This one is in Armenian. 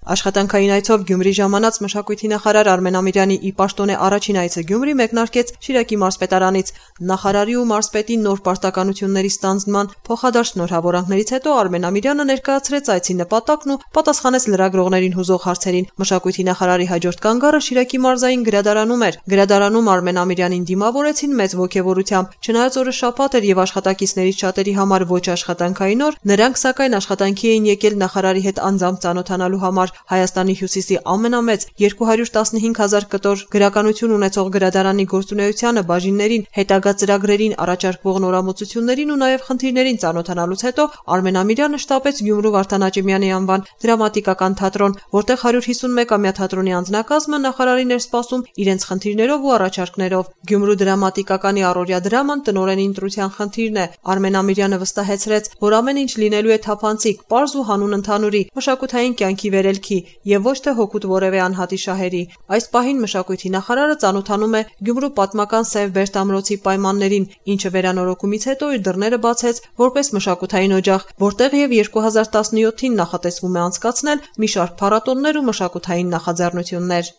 Աշխատանքային այցով Գյումրի ժամանած մշակույթի նախարար Արմեն Ամիրյանի ի պաշտոնե առաջին այցը Գյումրի մեկնարկեց Շիրակի մարզպետարանից։ Նախարարի ու մարզպետի նոր պարտականությունների ստանձնման փոխադարձ շնորհավորանքներից հետո Արմեն Ամիրյանը ներկայացրեց այցի նպատակն ու պատասխանեց լրագրողներին հուզող հարցերին։ Մշակույթի նախարարի հաջորդ կանգառը Շիրակի մարզային գրադարանում էր։ Գրադարանում Արմեն Ամիրյանին դիմավորեցին մեծ ոգևորությամբ։ Չնայած օրը շաբաթ էր եւ աշխատակիցներից շատերի համար ոչ աշխատանքային օր, նրանք սակայն աշխատանքի էին եկել նախարարի հետ անձամբ ծանոթանալու համար։ Հայաստանի հյուսիսի ամենամեծ 215,000 կտոր գրականություն ունեցող գրադարանի գործունեությանը, բաժիններին, հետագա ծրագրերին, առաջարկվող նորամուծություններին ու նաև խնդիրներին ծանոթանալուց հետո Արմեն Ամիրյանը շտապեց Գյումրու Վարդան Աճեմյանի անվան դրամատիկական թատրոն, որտեղ 151-ամյա թատրոնի անձնակազմը նախարարին էր սպասում իրենց խնդիրներով ու առաջարկներով։ Գյումրու դրամատիկականի առօրյա դրաման տնօրենի ընտրության խնդիրն է։ Արմեն Ամիրյանը վստահեցրեց, որ ամեն ինչ լինելու է թափանցիկ, պարզ ու հանուն ընդհանուրի, մշակութային կյանքի վերելքի եւ ոչ թե հօգուտ որևէ անհատի շահերի։ Այս պահին մշակույթի նախարարը ծանոթանում է Գյումրու պատմական Սև Բերդ ամրոցի պայմաններին, ինչը վերանորոգումից հետո իր դռները բացեց որպես մշակութային օջախ, որտեղ եւ 2017-ին նախատեսվում է անցկացնել մի շարք փառատոներ ու մշակութային նախաձեռնություններ։